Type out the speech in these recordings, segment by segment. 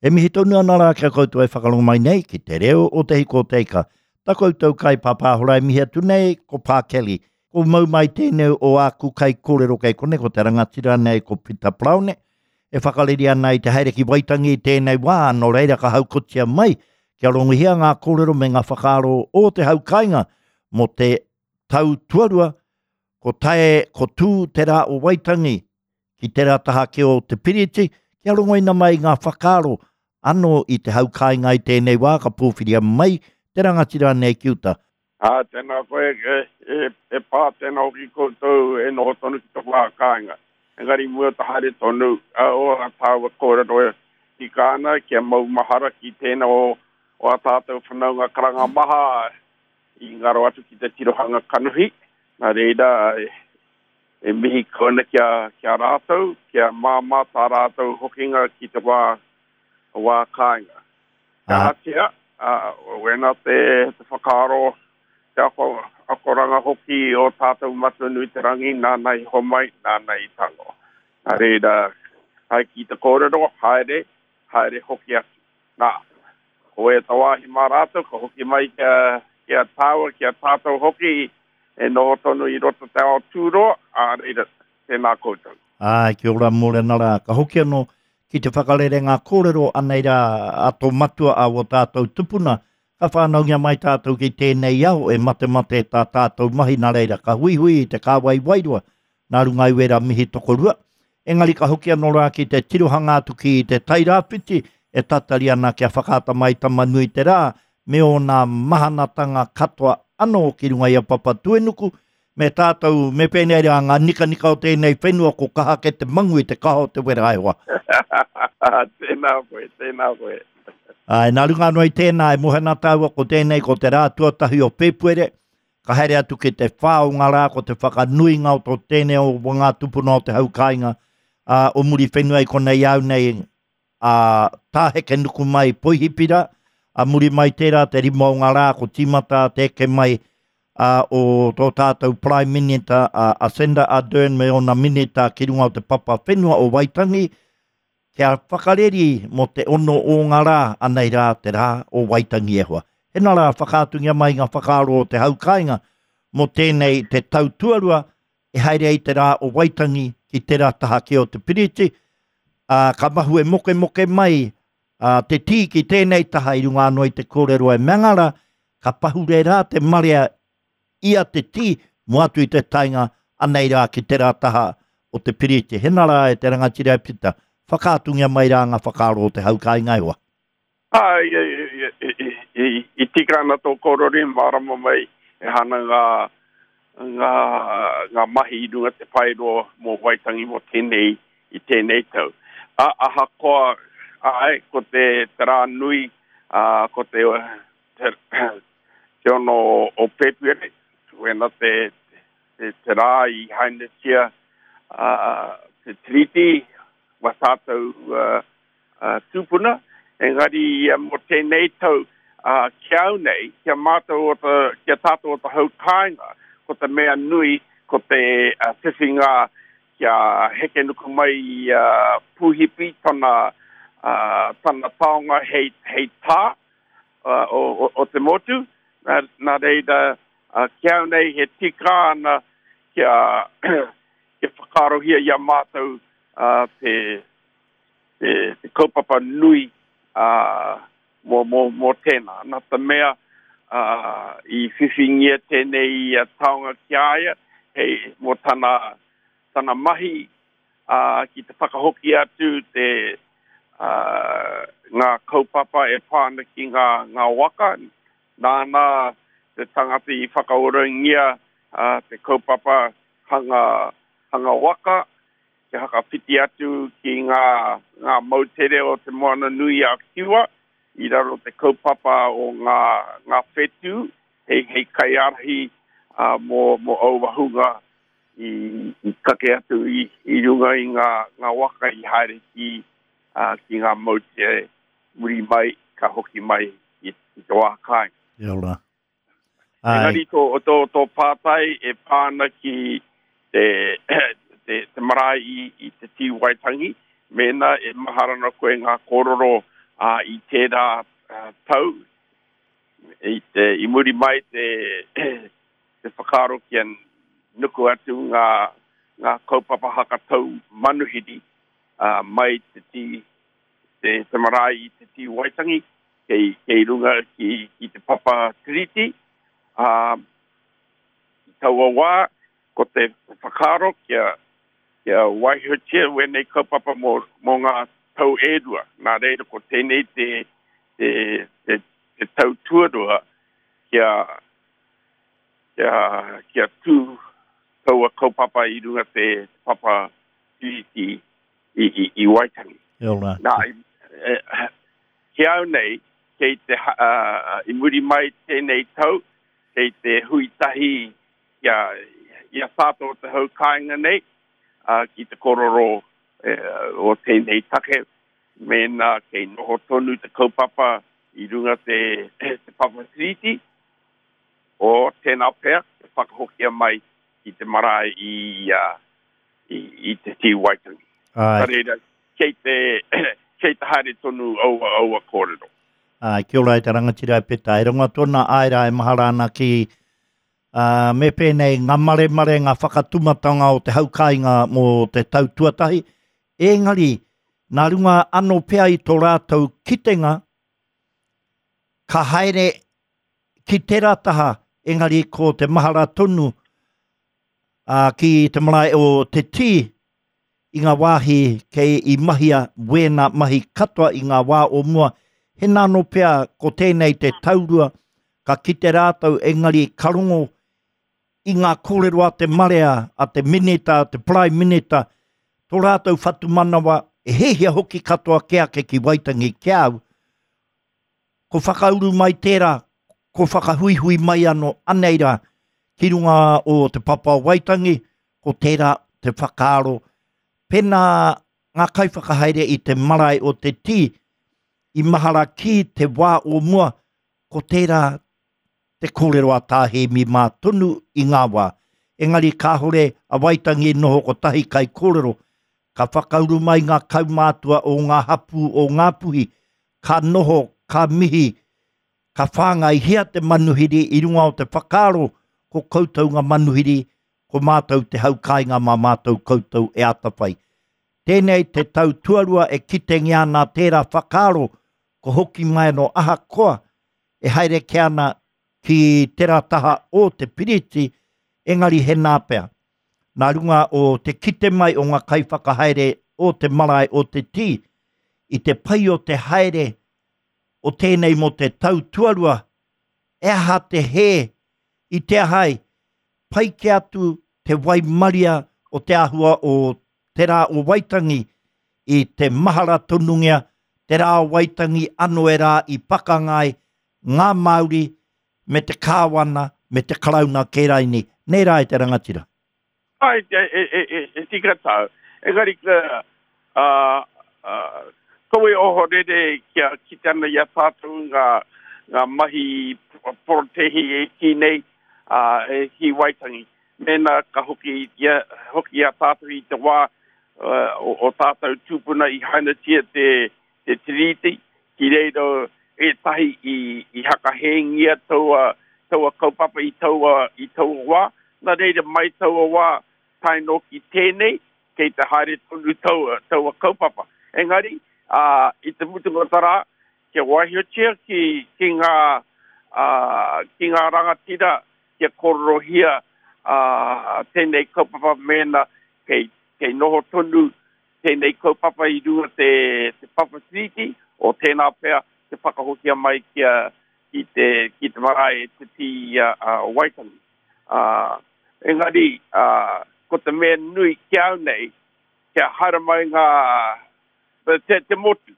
E mihi tonu ana rā ki a koutou e whakarongo mai nei ki te reo o Te Hiko o Te Ika. Ta koutou kai pāpāhora e mihi atu nei ko Pā Kelly. Ko mau mai tēnei o āku kai kōrero kei konei ko te rangatira nei ko Pita Paraone e whakareri ana i te haere ki Waitangi i tēnei wā, nō reira ka haukotia mai kia rongohia ngā kōrero me ngā whakaaro o te hau kāinga mō te tau tuarua ko tae ko tū te rā o Waitangi ki tērā taha ake o te piriti, kia rongoina mai ngā whakaaro anō i te hau kāinga i tēnei wā ka pōwhiria mai te rangatira nei ki uta. Ā, tēnā koe, e, e pā, tēnā hoki koutou e noho tonu ki te wā kāinga. Engari mua te haere tonu, ā, o ā tāua kōrero e tika ana kia maumahara ki tēnā o, o ā tātou whanaunga karanga maha i ngaro atu ki te tirohanga kanohi. Nā reira, e, E mihi kau ana ki a, ki a rātou, kia māmā tā rātou hokinga ki te wā, wā kāinga. Kia ahatia, ā, wēnā te, te whakaaro, te ako, akoranga hoki o tātou Matua nui te rangi, nāna i homai, nāna i tango. Nā reira, hai ki te kōrero, haere, haere hoki atu. Nā, ko ēta wāhi mā rātou, ka hoki mai kia, ki a tāua, ki a tātou hoki, E noho tonu i roto te ao tūroa, ā reira, tēnā koutou. Āe, kia ora mōrena rā. Ka hoki anō ki te whakarere ngā kōrero anei rā a tō matua a wō tātou tupuna, ka whānaungia mai tātou ki tēnei ao e matemate tā tātou mahi nā reira ka huihui i te kāwai wairua nā runga i wērā mihi tokorua. Engari ka hoki anō rā ki te tirohanga atu ki te Tairāwhiti e tatari ana kia whakaata mai Tama-nui-te-rā me ōna mahanatanga katoa anō ki runga i a Papatuenuku, me tātou, me pēnei rā ngā nikanika o tēnei whenua ko kaha ake te mangu i te kaha o te wera e hoa. Tēnā koe, tēnā koe. Āe, nā runga anō i tēnā e moe ana tāua ko tēnei ko te rā tuatahi o Pēpuere, Ka haere atu ki te whā o ngā rā ko te whakanuinga o tō tēnei o ngā tupuna o te hau kāinga, ā, o Muriwhenua i konei au nei, ā, tāheke nuku mai Poihipira, ā, muri mai tērā te rima o ngā rā ko tīmata te eke mai, ā, o tō tātou Prime Minita, a Jacinda Ardern me ōna minita ki runga o te papa whenua o Waitangi, Kia whakareri mō te ono o ngā rā, anei rā te rā o Waitangi e hoa. Hena rā whakaatungia mai ngā whakaaro o te hau kāinga mō tēnei te tau tuarua e haere ai te rā o Waitangi ki tērā taha kē o te piriti, ā, ka mahue mokemoke mai a te tī ki tēnei taha i runga anō i te kōrero e mea ana rā, ka pahure rā te marea i a Te Tī mō atu i te taenga anei rā ki tērā taha o te piriti. Hena rā e te rangatira e Pita, whakaatungia mai rā ngā whakaaro o te hau kāinga e hoa. Ā, i tika ana tō kōrero i mārama mai e hana ngā, ngā, ngā mahi i runga te paeroa mō Waitangi mō tēnei, i tēnei tau. Ā, ahakoa, āe, ko te, te rā nui, ā, ko te, te, te ono o Pēpuere, wena te, te, te rā i hainatia uh, te tiriti wa tātou uh, uh, tūpuna, engari uh, mō tēnei tau uh, ki au nei, kia mātou o te, kia tātou o te hau kāinga, ko te mea nui, ko te uh, whiwhinga kia heke nuku mai i uh, Pūhipi tana, uh, tana taonga hei, hei tā, o, o, o te motu, nā, nā reira, ki au nei he tika ana kia, kia whakaarohia i a mātou uh, te, te, te kaupapa nui uh, mō, mō, mō tēnā. Nā te mea uh, i whiwhingia tēnei taonga ki a ia, hei, mō tana, tana mahi ā, ki te whakahoki atu te, ā, ngā kaupapa e pā ana ki ngā, ngā waka. Nāna te tangata i whakaorangia, ā, te kaupapa hanga, hanga waka, kia whakawhiti atu ki ngā, ngā moutere o Te Moana-nui-a-Kiwa i raro te kaupapa o ngā, ngā whetū hei, hei kaiārahi, ā, mō, mō aua hunga i, i kake atu i, i runga i ngā, ngā waka i haere ki, uh, ki ngā moutere muri mai, ka hoki mai i, i te wā kāinga. Kia ora. Engari tō, tō, tō pātai e pā ana ki te, te, te marae i, i te tī Waitangi, mēnā e mahara ana koe ngā kōrero Ā, i tērā tau, i te, i muri mai te, te whakaaro kia nuku atu ngā, ngā kaupapa hakatau manuhiri, ā, mai te tī, te, te marae i te tī Waitangi, kei, kei runga ki, ki te papa tiriti, ā, i taua wā, ko te whakaaro kia, kia waihotia wēnei kaupapa mō, mō ngā tau e rua. Nā reira ko tēnei te, te, te, te tau tuarua kia, kia, kia tū taua kaupapa i runga te, te papa tiriti i, i, i Waitangi. Kia ora. Nā, e, ki au nei, kei te, uh, i muri mai tēnei tau, kei te hui tahi i a, i a tātou o te hau kāinga nei, uh, ki te kororo e, o tēnei take, mēnā kei noho tonu te kaupapa i runga te, te papa tiriti, o tēnā pea, te whakahokia mai ki te marae i, uh, i, i te tī Waitangi. Ai. Nā reira, kei te, kei te haere tonu aua, aua kōrero. Ai, kia ora e te rangatira e Peta. E rongo atu ana āe rā e mahara ana ki ā, me pēnei ngā maremare, ngā whakatumatanga o te hau kāinga mō te tau tuatahi. Engari, nā runga anō pea i tō rātou kitenga, ka haere ki tērā taha, engari ko te mahara tonu ā, ki te marae o Te Tī, i ngā wāhi kei i mahia wēnā mahi katoa i ngā wā o mua, hena anō pea ko tēnei te taurua, ka kite rātou engari ka rongo i ngā kōrero a te marea, a te minita, a te Prime Minita, tō rātou whatumanawa, e hiahia hoki katoa kē ake ki Waitangi ki a au, ko whakauru mai tērā, ko whakahuihui mai anō, anei rā, ki runga o Te Papa o Waitangi, ko tērā te whakaaro. Pēnā ngā kaiwhakahaere i te marae o Te Tī, i mahara ki te wā o mua, ko tērā te kōrero a Tā Hēmi mā tonu i ngā wā. Engari kāore a Waitangi i noho kotahi kaikōrero, ka whakauru mai ngā kaumātua o ngā hapū o Ngāpuhi, ka noho, ka mihi, ka whāngaihia te manuhiri i runga o te whakaaro ko koutou ngā manuhiri, ko mātou te hau kāinga mā mātou koutou e atawhai. Tēnei te tau tuarua e kitengia ana tērā whakaaro ko hoki mai anō ahakoa e haere kē ana ki tērā taha o te piriti, engari he nā pea. Nā runga o te kite mai o ngā kaiwhakahaere o te marae o Te Tī, i te pai o te haere o tēnei mō te tau tuarua, e aha te hē i te aha ai, pai kē atu te waimaria o te āhua o te rā o Waitangi i te mahara tonungia te rā o Waitangi ano e rā i pakanga ai ngā Māori me te Kāwana me te Karauna Kēraini. Nei rā e te rangatira. Ai, e, e, e, e, e tika tāu. Engari, uh, uh, kaua e ohorere kia kite ana i a tātou ngā, ngā mahi porotehi e kī nei, uh, e ki Waitangi. Mēnā ka hoki, ia, hoki a tātou i te wā uh, o, o tātou tūpuna i hainatia te, te tiriti, ki reira ētahi i, i hakahēngia taua, taua kaupapa i taua, i taua wā. Nā reira mai taua wā tae noa ki tēnei, kei te haere tonu taua, taua kaupapa. Engari, ā, i te mutunga o te rā, kia waihotia ki, ki ngā, ā, ki ngā rangatira kia kōrerohia ā, tēnei kaupapa mēnā kei, kei noho tonu tēnei kaupapa i runga te, te papa tiriti, o tēnā pea te whakahokia mai kia, ki te, ki te marae Te Tī a, a Waitangi. Ā, engari, ā, ko te mea nui ki au nei, kia haere mai ngā, te, te motu,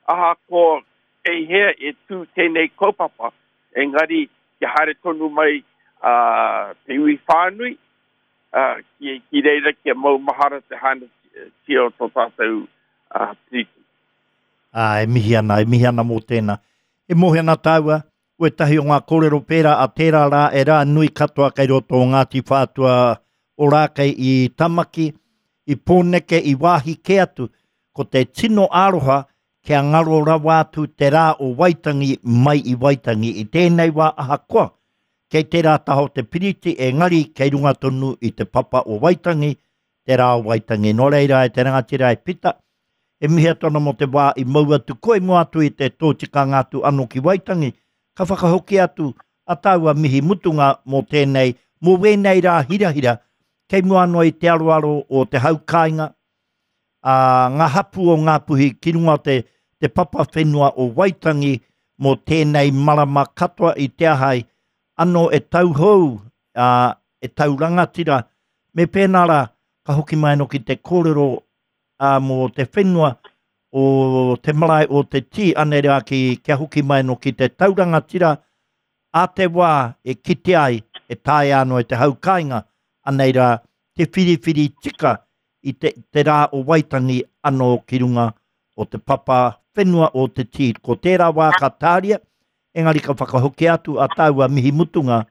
ahakoa kei hea e tū tēnei kaupapa, engari kia haere tonu mai uh, te iwi whānui, uh, ki, ki reira kia maumahara te hainatia o tō tātou uh, tiriti. Ā, e mihi ana, e mihi ana mō tēnā. E mōhio ana tāua, wētahi o ngā kōrero pērā a tērā rā e rā nui katoa kei roto o Ngāti Whātua Ōrākei i Tamaki, i Pōneke, i wāhi kē atu. Ko te tino aroha kia ngaro rawa atu te rā o Waitangi mai i Waitangi i tēnei wā ahakoa kei tērā taha o te piriti engari kei runga tonu i te papa o Waitangi te rā o Waitangi. Nō reira e te rangatira e Pita, e mihi atu ana mō te wā i mau atu koe mua atu i te tōtikanga atu anō ki Waitangi, ka whakahoki atu a tāua mihi mutunga mō tēnei, mō wēnei rā hirahira kei mua anō i te aroaro o te hau kāinga, a ngā hapū o Ngāpuhi ki runga o te, te papa whenua o Waitangi mō tēnei marama katoa i te ahai anō e tauhou, ā, e tau rangatira, me pēnā rā, ka hoki mai anō ki te kōrero ā, mō te whenua o te marae o Te Tī, anei rā ki, kia hoki mai anō ki te tau rangatira, ā te wā e kite ai, e taea anō e te hau kāinga, anei rā, te whiriwhiri tika i te, te rā o Waitangi anō ki runga o te papa whenua o Te Tī. Ko tērā wā ka tāria, engari ka whakahokia atu a tāua mihi mutunga,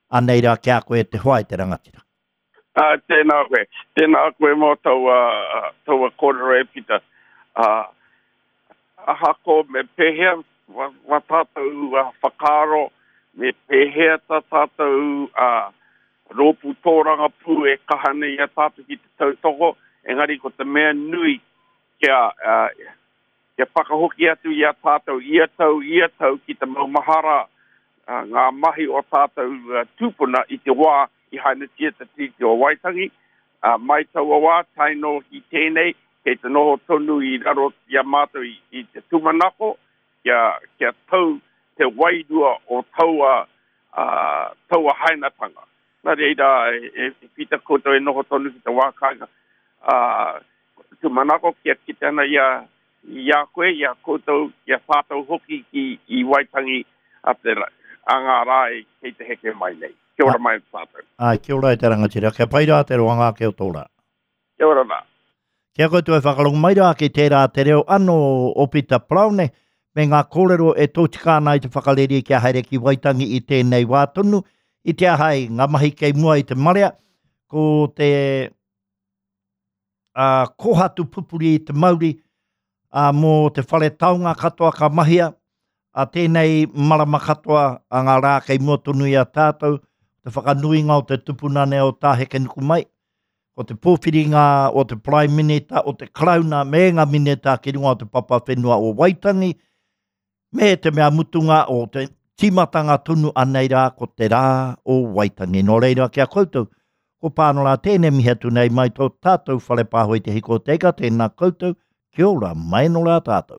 anei rā ki a koe e te hoa e te rangatira. Ā, tēnā koe. Tēnā koe mō taua, taua kōrero e Pita. Ā, ahako me pēhea wa, wa tātou whakaaro, me pēhea tā tātou ā, rōpū tōrangapū e kaha nei i a tātou ki te tautoko, engari ko te mea nui kia, ā, kia whakahoki atu i a tātou ia tau, ia tau ki te maumahara ngā mahi o tātou tūpuna i te wā i hainatia te Tiriti o Waitangi. Mai taua wā tae noa ki tēnei, kei te noho tonu i raro i a mātou i te tūmanako kia, kia tau te wairua o taua, taua hainatanga. Nā reira, e, e Pita koutou e noho tonu ki te wā kāinga. Tūmanako kia kite ana i a, i a koe, i a koutou, i a tātou hoki ki i Waitangi a te, a ngā rā e kei te heke mai nei. Kia ora mai tātou. Ai, kia ora e te rangatira. Kia pai rā te roanga ake o tō rā. Kia ora rā. Kia koutou e whakarongo mai rā ki tērā te reo anō o Pita Paraone me ngā kōrero e tōtika ana i te whakareri kia haere ki Waitangi i tēnei wā tonu, i te aha ai ngā mahi kei mua i te marea, ko te ā, kōhatu pupuri i te mauri, ā, mō te whare taonga katoa ka mahia, ā tēnei marama katoa a ngā rā kei mua tonu i a tātou, te whakanuinga o te tupuna nei o Tā Hekenukumai, ko te pōwhiringa o te Prime Minita, o te Karauna me ngā minita ki runga o te papa whenua o Waitangi, Me te mea mutunga o te tīmatanga tonu anei rā ko te rā o Waitangi. Nō reira ki a koutou, ko Pānora tēnei mihi atu nei mai tō tātou whare pāho i te hiko o te ika, tēnā koutou, kia ora, mai nō rā tātou.